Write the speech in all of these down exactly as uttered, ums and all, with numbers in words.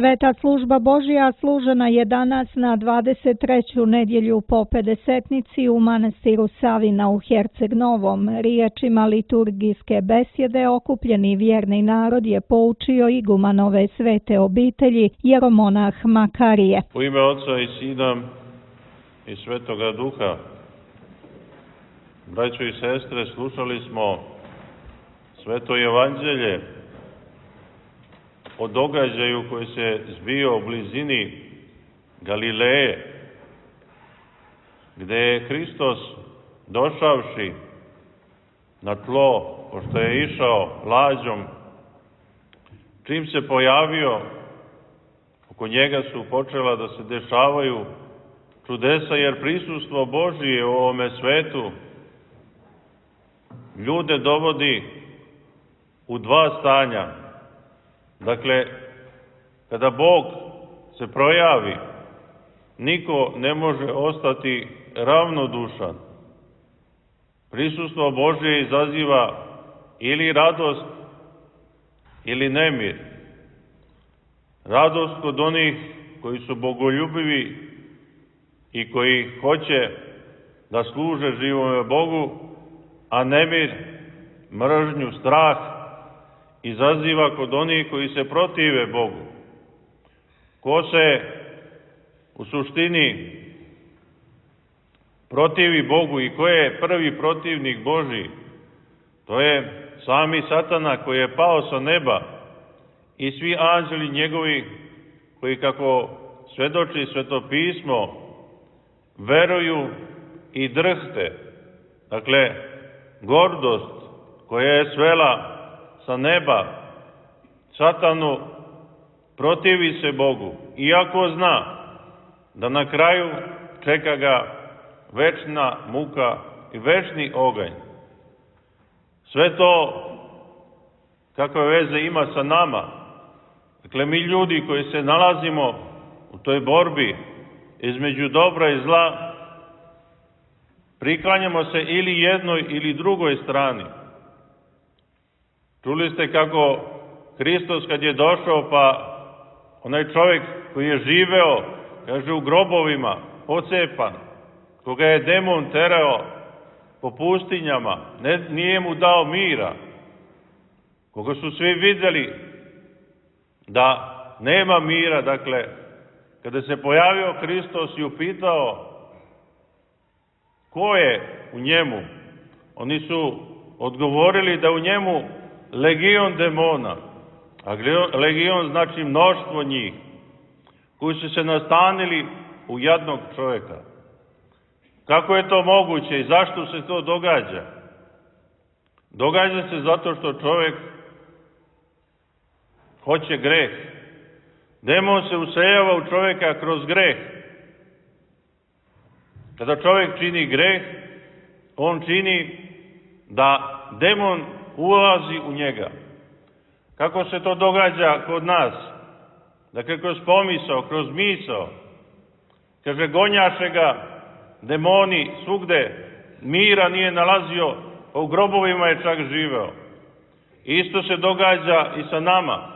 Sveta služba Božja služena je danas na dvadeset treću nedjelju po pedesetnici u manastiru Savina u Herceg Novom. Riječima liturgijske besjede okupljeni vjerni narod je poučio igumanove svete obitelji jeromonah Makarije. U ime Oca i Sina i Svetoga Duha. Braćo i sestre, slušali smo Sveto Evanđelje o događaju koji se zbio u blizini Galileje, gde je Hristos došavši na tlo, pošto je išao lađom, čim se pojavio, oko njega su počela da se dešavaju čudesa, jer prisustvo Božije u ovome svetu ljude dovodi u dva stanja. Dakle, kada Bog se projavi, niko ne može ostati ravnodušan. Prisustvo Božje izaziva ili radost ili nemir. Radost kod onih koji su bogoljubivi i koji hoće da služe živome Bogu, a nemir, mržnju, strah izaziva kod onih koji se protive Bogu. Ko se u suštini protivi Bogu i ko je prvi protivnik Božji? To je sami Satana koji je pao sa neba i svi anđeli njegovi koji, kako svedoči Sveto pismo, veruju i drhte. Dakle, gordost koja je svela sa neba Satanu protivi se Bogu, iako zna da na kraju čeka ga večna muka i večni oganj. Sve to kakve veze ima sa nama? Dakle, mi ljudi koji se nalazimo u toj borbi između dobra i zla, priklanjamo se ili jednoj ili drugoj strani. Čuli ste kako Hristos kad je došao, pa onaj čovjek koji je živeo, kaže, u grobovima, pocepan, koga je demon terao po pustinjama, ne, nije mu dao mira, koga su svi vidjeli da nema mira. Dakle, kada se pojavio Hristos i upitao ko je u njemu, oni su odgovorili da u njemu legion demona, a legion znači mnoštvo njih, koji su se nastanili u jadnog čovjeka. Kako je to moguće i zašto se to događa? Događa se zato što čovjek hoće greh. Demon se useljava u čovjeka kroz greh. Kada čovjek čini greh, on čini da demon ulazi u njega. Kako se to događa kod nas? Dakle, kroz pomisao, kroz misao. Kaže, gonjaše ga demoni svugde, mira nije nalazio, u grobovima je čak živeo. Isto se događa i sa nama,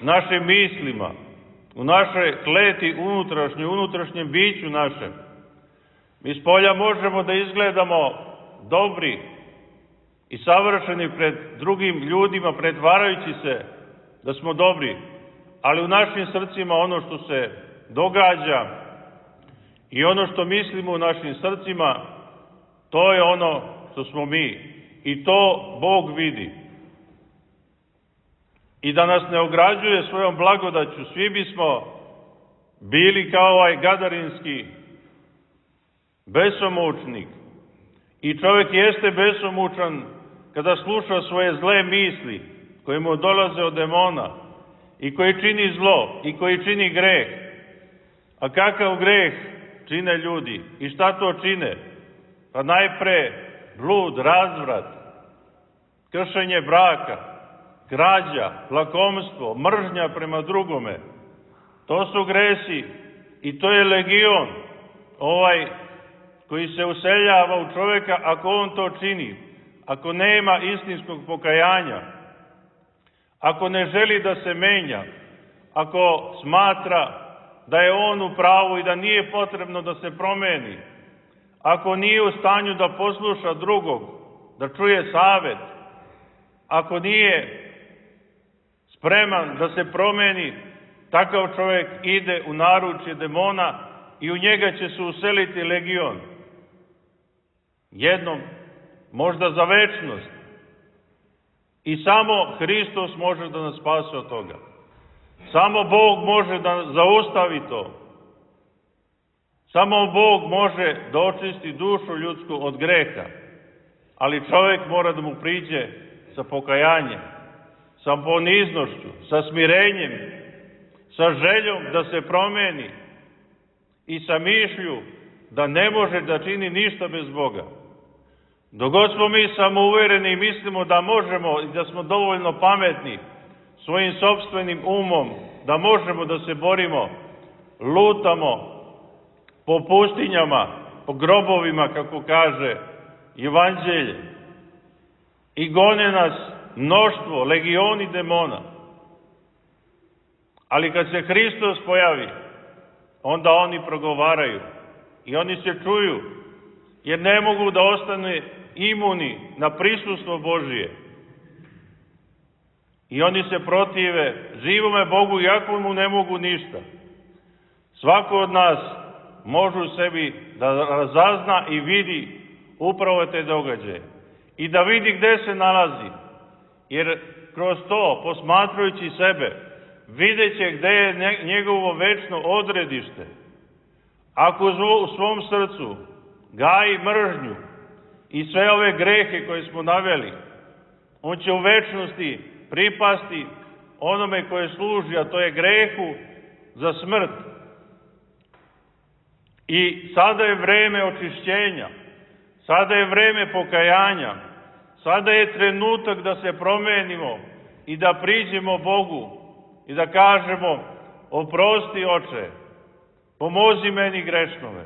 našim mislima, u našoj kleti unutrašnjoj, unutrašnjem biću našem. Mi s polja možemo da izgledamo dobri i savršeni pred drugim ljudima, pretvarajući se da smo dobri, ali u našim srcima ono što se događa i ono što mislimo u našim srcima, to je ono što smo mi. I to Bog vidi. I da nas ne ograđuje svojom blagodaću, svi bismo bili kao ovaj gadarinski besomučnik. I čovjek jeste besomučan kada sluša svoje zle misli koje mu dolaze od demona i koji čini zlo i koji čini greh. A kakav greh čine ljudi? I šta to čine? Pa najpre blud, razvrat, kršenje braka, krađa, lakomstvo, mržnja prema drugome. To su gresi i to je legion, ovaj koji se useljava u čovjeka ako on to čini, ako nema istinskog pokajanja, ako ne želi da se menja, ako smatra da je on u pravu i da nije potrebno da se promeni, ako nije u stanju da posluša drugog, da čuje savet, ako nije spreman da se promeni, takav čovjek ide u naručje demona i u njega će se useliti legion. Jednom, možda za večnost. I samo Hristos može da nas spase od toga. Samo Bog može da zaustavi to. Samo Bog može da očisti dušu ljudsku od greha. Ali čovjek mora da mu priđe sa pokajanjem, sa poniznošću, sa smirenjem, sa željom da se promeni i sa mišlju da ne može da čini ništa bez Boga. Dok god smo mi samouvereni i mislimo da možemo i da smo dovoljno pametni svojim sopstvenim umom, da možemo da se borimo, lutamo po pustinjama, po grobovima, kako kaže Evanđelje, i gone nas mnoštvo, legioni demona. Ali kad se Hristos pojavi, onda oni progovaraju i oni se čuju, jer ne mogu da ostane imuni na prisustvo Božije. I oni se protive živome Bogu, iako mu ne mogu ništa. Svako od nas može u sebi da razazna i vidi upravo te događaje. I da vidi gde se nalazi. Jer kroz to, posmatrajući sebe, vidjet će gde je njegovo večno odredište. Ako u svom srcu gaji mržnju i sve ove grehe koje smo naveli, on će u večnosti pripasti onome koje služi, a to je grehu za smrt. I sada je vreme očišćenja, sada je vreme pokajanja, sada je trenutak da se promenimo i da priđemo Bogu i da kažemo: oprosti, Oče, pomozi meni grešnome,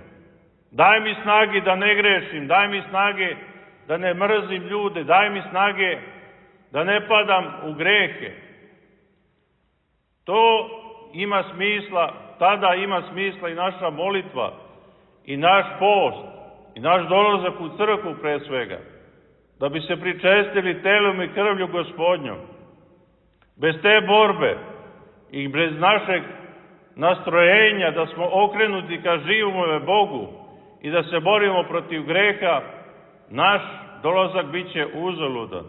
daj mi snage da ne grešim, daj mi snage da ne mrzim ljude, daj mi snage da ne padam u grehe. To ima smisla, tada ima smisla i naša molitva, i naš post, i naš dolazak u crkvu pre svega, da bi se pričestili telom i krvlju Gospodnjom. Bez te borbe i bez našeg nastrojenja da smo okrenuti ka živome Bogu i da se borimo protiv greha, naš dolazak bit će uzaludan.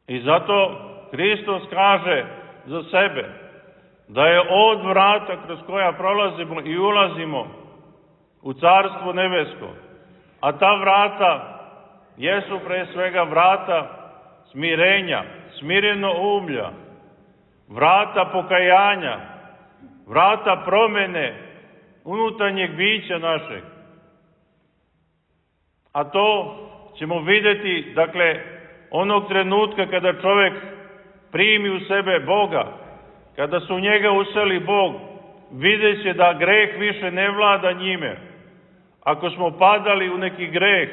I zato Hristos kaže za sebe da je od vrata kroz koja prolazimo i ulazimo u Carstvo nebesko, a ta vrata jesu pre svega vrata smirenja, smireno umlja, vrata pokajanja, vrata promene unutarnjeg bića našeg. A to ćemo vidjeti, dakle, onog trenutka kada čovjek primi u sebe Boga, kada se u njega useli Bog, vidjet će da greh više ne vlada njime. Ako smo padali u neki greh,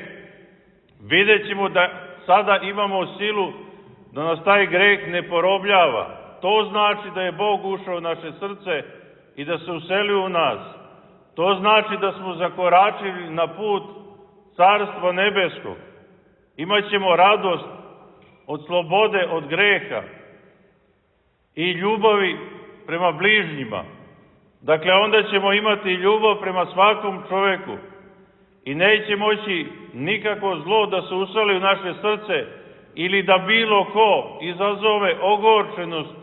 vidjet ćemo da sada imamo silu da nas taj greh ne porobljava. To znači da je Bog ušao u naše srce i da se uselio u nas. To znači da smo zakoračili na put Carstva nebeskog. Imaćemo radost od slobode, od greha i ljubavi prema bližnjima. Dakle, onda ćemo imati ljubav prema svakom čovjeku i neće moći nikako zlo da se useli u naše srce ili da bilo ko izazove ogorčenost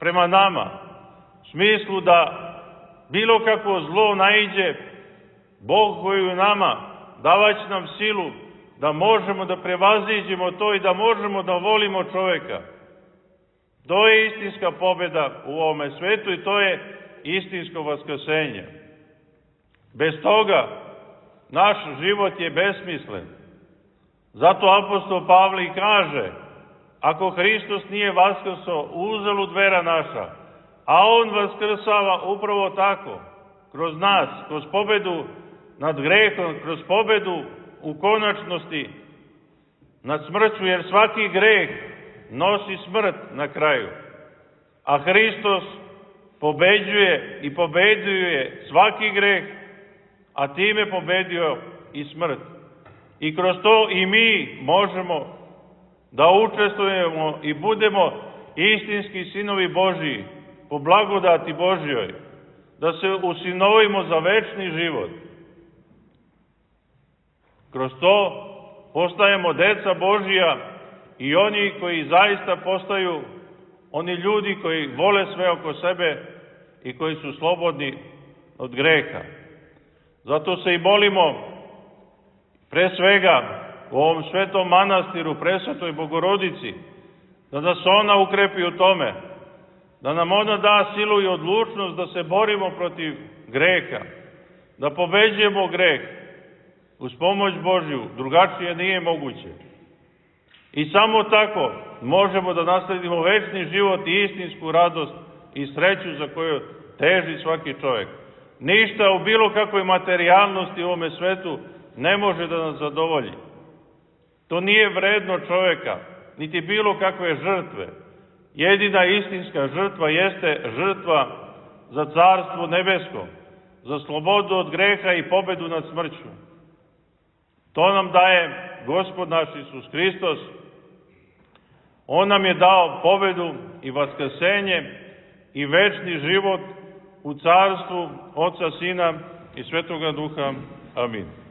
prema nama. U smislu da bilo kako zlo naiđe, Bog koji u nama davać nam silu da možemo da prevaziđemo to i da možemo da volimo čovjeka. To je istinska pobjeda u ovome svetu i to je istinsko vaskrsenje. Bez toga naš život je besmislen. Zato apostol Pavle i kaže: ako Hristos nije vaskrsao, uzalud vera naša, a On vaskrsava upravo tako, kroz nas, kroz pobedu nad grehom, kroz pobedu u konačnosti nad smrću, jer svaki greh nosi smrt na kraju. a Hristos pobeđuje i pobeđuje svaki greh, a time pobedio i smrt. I kroz to i mi možemo da učestvujemo i budemo istinski sinovi Božiji, po blagodati Božjoj, da se usinovimo za večni život. Kroz to postajemo deca Božija i oni koji zaista postaju oni ljudi koji vole sve oko sebe i koji su slobodni od greha. Zato se i molimo pre svega u ovom svetom manastiru, presvetoj Bogorodici, da nas ona ukrepi u tome, da nam ona da silu i odlučnost da se borimo protiv greha, da pobeđujemo greh uz pomoć Božju, drugačije nije moguće. I samo tako možemo da nasledimo večni život i istinsku radost i sreću za koju teži svaki čovjek. Ništa u bilo kakvoj materijalnosti u ovome svetu ne može da nas zadovolji. To nije vredno čovjeka, niti bilo kakve žrtve. Jedina istinska žrtva jeste žrtva za carstvo nebesko, za slobodu od greha i pobedu nad smrću. To nam daje Gospod naš Isus Hristos. On nam je dao pobedu i vaskrsenje i večni život u carstvu Oca, Sina i Svetoga Duha. Amin.